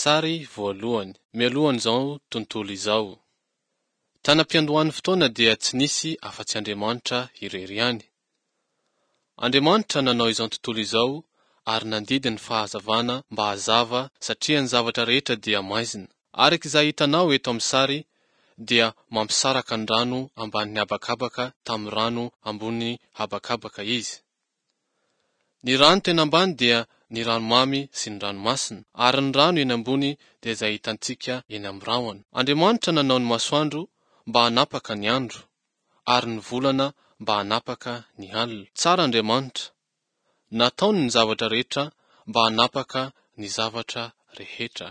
Sary voalohany, mialohan'izao tontolo izao. Tany am-piandohan'ny fotoana dia tsy nisy afa-tsy Andriamanitra irery ihany. Andriamanitra nanao izao tontolo izao ary nandidy ny fahazavana mba hazava satria ny zavatra rehetra dia maizina. Araka izay hitanao eto amin'ny sary dia mampisaraka ny rano ambanin'ny habakabaka tamin'ny rano ambony habakabaka izy. Ny rano tena ambany dia ny ranomamy sy ny ranomasina, ary ny rano eny ambony dia izay hitantsika eny amin'ny rahona. Andriamanitra nanao ny masoandro mba hanapaka ny andro, ary ny volana mba hanapaka ny alina. Tsara Andriamanitra. Nataony ny zavatra rehetra mba hanapaka ny zavatra rehetra.